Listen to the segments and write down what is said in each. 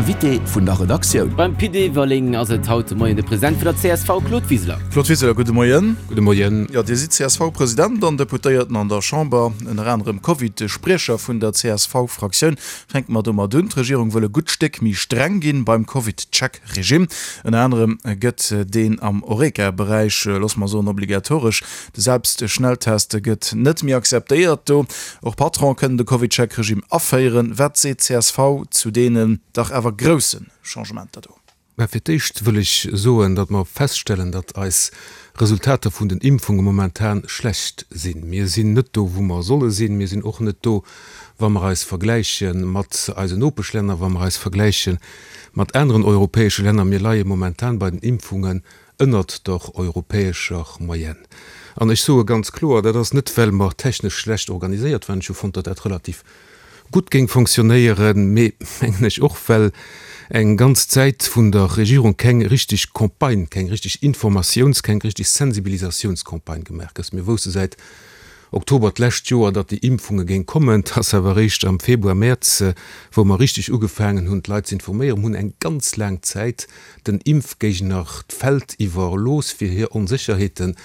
Invité vun der Redaktioun. Beim Pit Everling ass et haut de Moien de President vun der csv, Claude Wiseler. Claude Wiseler, gudde Moien. Gudde Moien. Jo, Dir sidd CSV-President an Deputéierten an der Chamber, ënner anerem Covid-Spriecher vun der CSV-Fraktioun. Fänke mer domat un, D'Regierung wëll e gutt Stéck méi streng ginn beim Covid-Check-Regime. Ënner anerem gëtt deen am Horeca-Beräich, loosse mer soen, obligatoresch. De Selbstschnelltest gëtt net méi akzeptéiert do. Och Patron kënnen de CovidCheck-Regime aféieren. Wat seet csv zu deenen dach awer grousse Changementer do? Mä fir d'éischt wëll ech soen, datt mer feststellen, datt eis Resultater vun den Impfunge momentan schlecht sinn. Mir sinn net do, wou mer solle sinn. Mir sinn och net do, wa mer eis vergläiche mat eisen Nopeschlänner, wa mer eis vergläiche mat aneren europäesche Länner. Mir leie momentan bei den Impfungen ënnert der europäescher Moyenne. An ech soe ganz kloer, dat ass net, well mer technesch schlecht organiséiert waren, ech hu fonnt, datt dat relativ gutt géing fonctionnéieren, mee, mengen ech, och well eng ganz Zäit vun der Regierung keng richtig Campagne, keng richtig Informatiouns-, keng richtig Sensibilisatiounscampagne gemaach gëtt. Mir wousse säit Oktober d'lescht Joer, datt déi Impfunge géing kommen. Et ass awer eréischt am Februar, Mäerz, wou mer richtig ugefaangen hunn, d'Leit ze informéieren. Mir hunn eng ganz laang Zäit den Impfgéigner d'Feld iwwerlooss, fir hir Onsécherheeten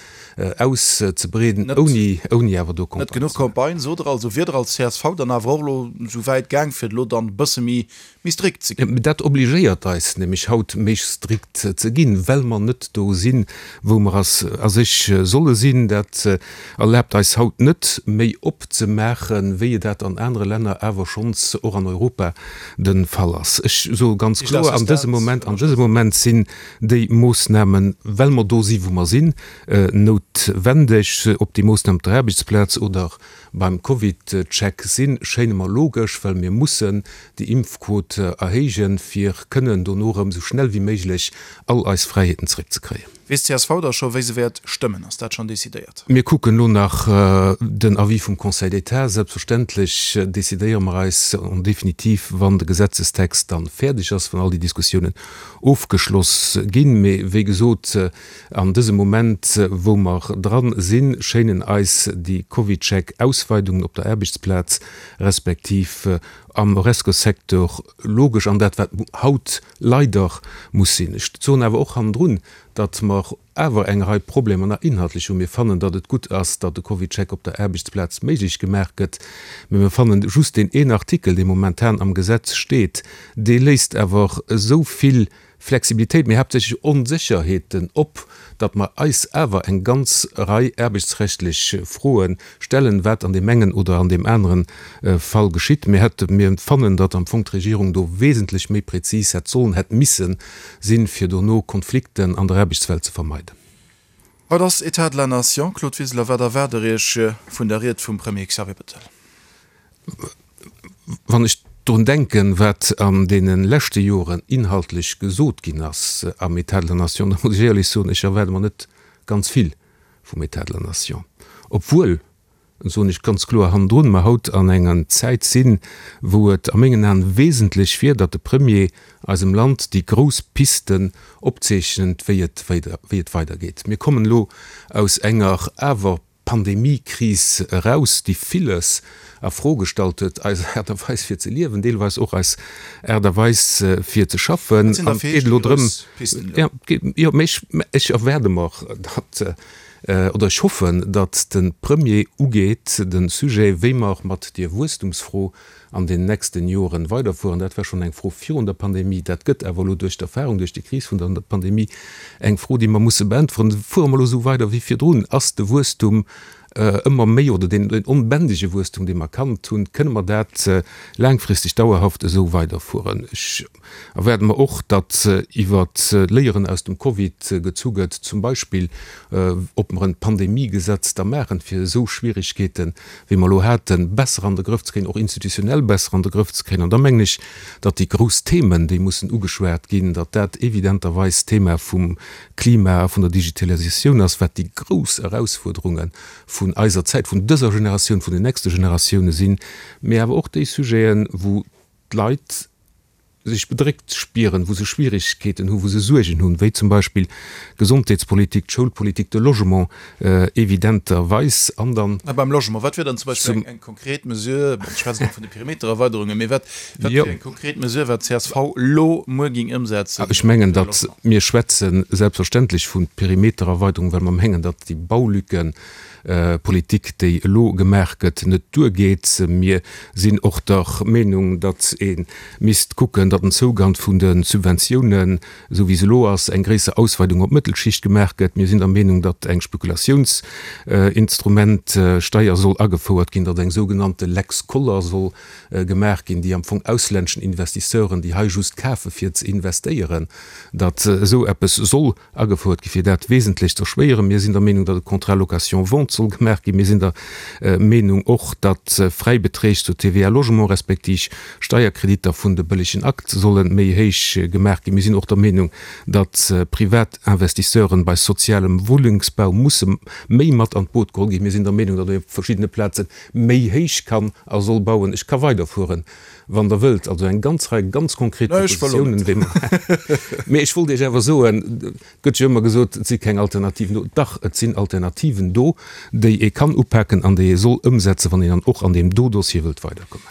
auszebreeden, ouni, ouni awer do Campagne. Net genuch Campagne, sot Der also. Wier Der als csv dann awer och elo esou wäit gaang, fir et elo dann e bësse méi, méi strikt ze ginn? Dat obligéiert eis nämlech haut, méi strikt ze ginn, well mer net do sinn, wou mer a sech solle sinn. Dat erlaabt eis haut net, méi opzemaachen, wéi et dat an anere Länner awer schonns och an Europa de Fall ass. Ech soe ganz kloer, an dësem Moment, an dësem Moment sinn déi Moossnamen, well mer do si wou mer sinn, noutwendeg. Ob déi Moossnamen op der Aarbechtsplaz oder beim CovidCheck sinn, schéine mer logesch, well mir mussen déi Impfquot erhéijen, fir kënnen dono erëm esou schnell wéi méiglech all eis Fräiheeten zeréckzekréien. Weess csv da scho wéi se wäert stëmmen? Ass dat schonn decidéiert? Mir kucken elo nach den Avis vum Conseil d'État. Selbstverständlech decidéiere mer eis en définitive, wann de Gesetzestext dann fäerdeg ass, wann all déi Diskussiounen ofgeschloss ginn. Mee wéi gesot, an dësem Moment, wou mer dran sinn, schéinen eis déi CovidCheck-Ausweidungen op der Aarbechtsplaz respektiv am Horesco-Secteur logesch an dat wat haut leider muss sinn. Ech soen awer och hannendrun, datt mer awer eng Rei Problemer nach inhaltlech hunn. Mir fannen, datt et gutt ass, datt de CovidCheck op der Aarbechtsplaz méiglech gemaach gëtt, mä mir fannen just deen een Artikel, dee momentan am Gesetz steet, dee léisst awer esou vill Flexibilitéit, mee haaptsächlech Onsécherheeten op, datt mer eis awer eng ganz Rei aarbechtsrechtlech Froe stellen, wat an deem engen oder an deem anere Fall geschitt. Mir hätte, mir fannen, datt am Fong d'Regierung do wesentlech méi prezis hätt sollen, hätt misse sinn, fir dono Konflikten an der Aarbechtswelt ze vermeiden. Haut ass État de la Nation. Claude Wiseler, wat erwaart Der Iech vun der Ried vum Premier Xavier Bettel? Wann ech drun denken, wat an deene leschte Joren inhaltlech gesot ginn ass am État de la Nation, da muss ech éierlech soen, ech erwaarde mer net ganz vill vum État de la Nation, obwuel, soen ech ganz kloer hannendrun, mer haut an enger Zäit sinn, wou et a mengen Aen wesentlech wier, datt de Premier eisem Land déi grouss Pisten opzeechent, wéi et wéi et weidergeet. Mir kommen elo aus enger awer Pandemiekris eraus, déi villes a Fro gestallt huet, eis Aart a Weis fir ze liewen, deelweis och eis Aart a Weis fir ze schaffen. Wat sinn da fir Iech déi grouss Pisten elo? Jo, mä ech, ech erwaarde mer, datt, oder ech hoffen, datt de Premier ugeet de Sujet, wéi mer mat deer Wuesstumsfro an den nächsten Joren weiderfueren. Dat war schonn eng Fro virun der Pandemie. Dat gëtt awer elo duerch d'Erfahrung, duerch déi Kris vun der Pandemie eng Fro, déi mer musse beäntweren. Fuere mer elo esou weider wéi virdrun? Ass de Wuesstum ëmmer méi, oder deen onbändege Wuesstum, dee mer kannt hunn, kënne mer dat laangfristeg dauerhaft esou weiderfueren? Ech erwaarde mer och, datt iwwer d'Léieren aus dem Covid gezu gëtt, zum Beispill ob mer en Pandemiegesetz da maachen, fir esou Schwierigkeeten, wéi mer elo haten, besser an de Grëff ze kréien, och institutionell besser an de Grëff ze kréien. An da mengen ech, datt déi grouss Themen, déi mussen ugeschwat ginn, datt dat evidenterweis d'Thema vum Klima a vun der Digitalisatioun ass, wat déi grouss Erausfuerderunge vun eiser Zäit, vun dëser Generatioun, vun den nächste Generatioune sinn, mee awer och déi Sujeten, wou d'Leit. sech bedréckt spieren, wou se Schwierigkeeten hunn, wou se Suergen hunn, wéi zum Beispill d'Gesondheetspolitik, d'Schoulpolitik, de Logement evidenterweis an dann. A beim Logement, wat wier dann zum Beispill eng konkret Mesure, bon, ech schwätzen elo vun de Perimetererweiderungen, mee wat wier eng konkret Mesure, wat d'CSV elo muer géing ëmsetzen? Ech mengen, datt mir schwätze selbstverständlech vu Perimetererweiderung, well mer mengen, datt déi Baulücken, Politik, déi elo gemaach gëtt, net duergeet. Mir sinn och der Meenung, datt ee misst kucken, datt den Zougang vun de Subventiounen, esou wéi se elo ass, eng gréisser Ausweidung op d'Mëttelschicht gemaach gëtt. Mir sinn der Meenung, datt eng Spekulatiouns-Instrument-Steier soll agefouert ginn, datt eng sougenannte Lex Koller soll gemaach ginn, déi am Fong auslänneschen Investisseuren, déi hei just kafe fir ze investéieren, datt esou eppes soll Agefouert gi fir dat wesentlech ze erschwéieren. Mir sinn der Meenung, datt e Contrat location-vente soll gemaach ginn. Mir sinn der Meenung och, datt Fräibeträg zur TVA Logement respektiv Steierkreditter vun de bëllegen Akt solle méi héich gemaach ginn. Mir sinn och der Meenung, datt privat Investisseuren bei sozialem Wunnengsbau musse méi mat an d'Boot geholl ginn. Mir sinn der Meenung, datt ee op verschiddene Plaze méi héich kann a soll bauen. Ech ka weiderfueren. Wann Der wëllt, also eng ganz Rei ganz konkret Propositionen, wéi mer. Mee ech wollt Iech awer soen, et gëtt jo ëmmer gesot, et si keng Alternativen do. Dach, et sinn Alternativen do, déi ee kann upaken an déi ee soll ëmsetzen, wann een dann och an deem do Dossier wëllt weiderkommen.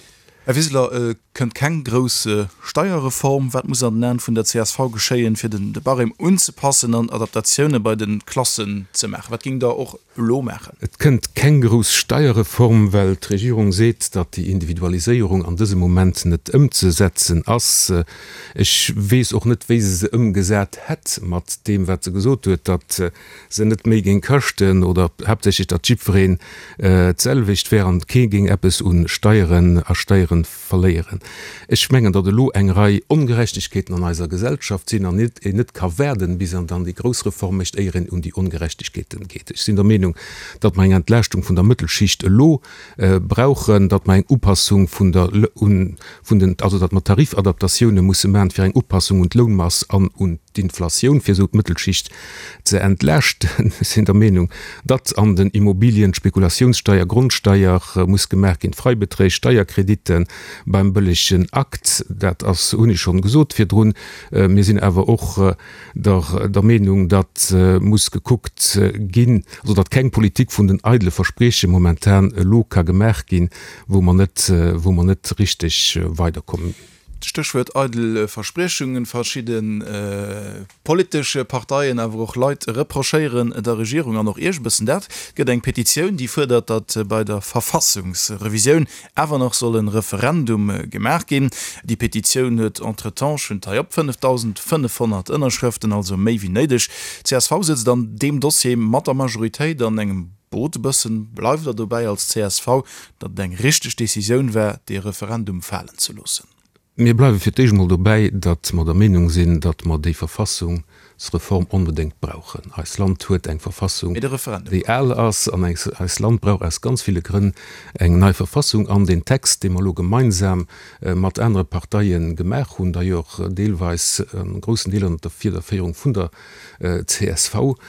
Här Wiseler, et kënnt keng grouss Steierreform. Wat muss an den Aen vun der csv geschéien, fir de Barème unzepassen an Adaptatioune bei de Klassen ze maachen? Wat géingt Der och elo maachen? Et kënnt keng grouss Steierreform, well d'Regierung seet, datt déi Individualiséierung an dësem Moment net ëmzesetzen ass. Ech weess och net, wéi se se ëmgesat hätt mat deem, wat se gesot huet, datt se net méi géing kaschten oder haaptsächlech, datt jiddwereen d'selwecht wär an kee géing eppes u Steieren a Steieren verléieren. Ech mengen, datt elo eng Rei Ongerechtegkeeten an eiser Gesellschaft sinn an een net ka waarden, bis een dann déi grouss Reform mécht, éier een un déi Ongerechtegkeeten geet. Ech sinn der Meenung, datt mer eng Entlaaschtung vun der Mëttelschicht elo brauchen, datt mer eng Upassung vun der, vun den, also datt mer Tarifadaptatioune musse maachen, fir eng Upassung un d'Lounmass an un d'Inflatioun, fir esou d'Mëttelschicht ze entlaaschten. Ech sinn der Meenung, datt an den Immobilien d'Spekulatiounssteier, Grondsteier muss gemaach ginn, d'Freibeträg, Steierkreditte beim bëllegen Akt, dat ass, hunn ech schonn gesot virdrun. Mir sinn awer och der der Meenung, datt muss gekuckt ginn, also datt keng Politik vun den eidele Versprieche momentan elo ka gemaach ginn, wou mer net, wou mer net richteg weiderkommen. Stéchwuert eidel Verspriechungen, Verschidde politesch Parteien, awer och Leit reprochéieren der Regierung an och Iech e bëssen dat. Et gëtt eng Petitioun, déi fuerdert, datt bei der Verfassungsrevisioun awer nach soll e Referendum gemaach ginn. Déi Petitioun huet entretemps, ech hunn et hei op, 5.500 Ënnerschrëften, also méi wéi néideg. D'CSV sëtzt an deem Dossier mat der Majoritéit an engem Boot e bëssen. Bleift Der dobäi als csv, datt et eng richteg Decisioun war, dee Referendum falen ze loossen? Mir bleiwe fir d'éischt emol dobäi, datt mer der Meenung sinn, datt mer déi Verfassungsreform onbedéngt brauchen. Eist Land huet eng Verfassung, déi al ass, an eist Land brauch aus ganz ville Grënn eng nei Verfassung. An deen Text, dee mer elo gemeinsam mat anere Parteie gemaach hunn, d'ailleurs deelweis, an groussen Deeler ënnert der Fiederféierung vun der csv,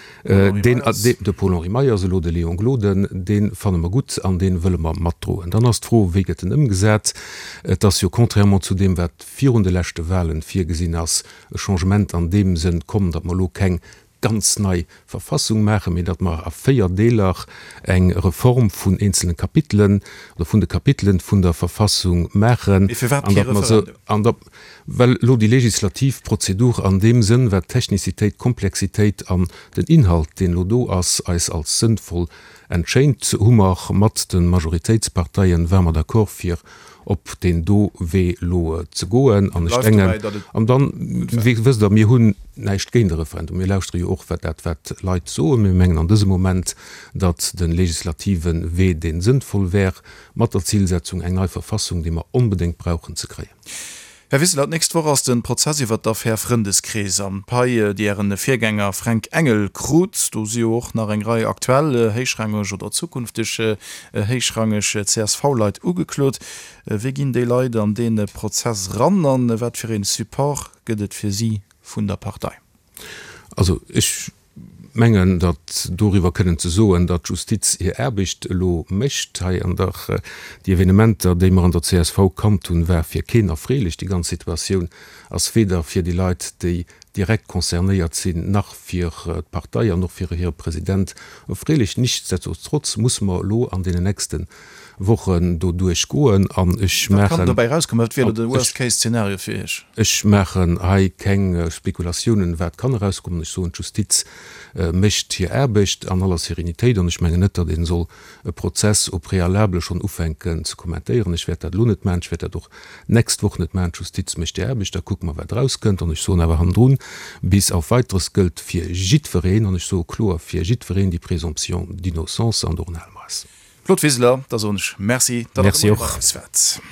deen, de Paul-Henri Meyers, elo de Léon Gloden, dee fanne mer gutt an dee wëlle mer matdroen. Dann ass d'Fro, wéi gëtt en ëmgesat? Et ass jo, contrairement zu deem, wat virun de leschte Wahlen virgesinn ass, e Changement an deem Sënn komm, datt mer elo keng ganz nei Verfassung maachen, mee datt mer a 4 Deeler eng Reform vun eenzelne Kapitelen oder vun de Kapitelen vun der Verfassung maachen. Mee firwat kee Referendum? Well elo déi legislativ Prozedur an deem Sënn, wat d'Technizitéit, d'Komplexitéit an den Inhalt, deen elo do ass, eis als sënnvoll entschéint, hu mer mat de Majoritéitsparteien, ware mer d'accord fir op deen do Wee elo ze goen. An ech denken, an dann, wéi wësst Der, mir hunn näischt géint e Referendum, mir lauschtere jo och wat dat wat d'Leit soen. Mir mengen an dësem Moment, datt de legislative Wee dee sënnvoll wär, mat der Zilsetzung eng nei Verfassung, déi mer onbedéngt brauchen, ze kréien. Här Wiseler, d'nächst Woch ass de Prozess iwwert d'Affär Frëndeskrees an d'Pai, déi Ären Virgänger Fränk Engel krut. Do si jo och nach eng Rei aktuell héichrangeg oder zukünfteg héichrangeg CSV-Leit ugeklot. Wéi ginn déi Leit an dee Prozess eran an wat fir ee Support gëtt et fir si vun der Partei? Also ech. mengen, datt doriwwer kënnen ze soen, datt d'Justiz hir Aarbecht elo mécht hei an der, déi Evenementer, déi mer an der csv kannt hunn, war fir keen erfreelech. Déi ganz Situatioun ass weder fir déi Leit, déi direkt concernéiert sinn, nach fir d'Partei an och fir hire President erfreelech. Nichtsdestotrotz musse mer elo an deenen nächste Wochen doduerch goen an ech Wat kann maachen, dobäi erauskommen? Wat wier elo de Worst-Case-Zeenario fir Iech? ech maachen hei keng Spekulatiounen, wat kann erauskommen. Ech soen, d'Justiz mécht hir Aarbecht an aller Sérénitéit an ech mengen net, datt ee soll e Prozess au préalable schonn ufänken ze kommentéieren. Ech wäert dat elo net maachen, ech wäert dat och d'nächst Woch net maachen. D'Justiz mécht hir Aarbecht, da kucke mer, wat erauskënnt. An ech soen awer hannendrun, bis auf Weiteres gëllt fir jiddwereen, an ech soe kloer fir jiddwereen, déi Présomption d'innocence an dorun hale mer eis. Claude Wiseler, da soen ech Merci, datt Der de Moie bei eis waart.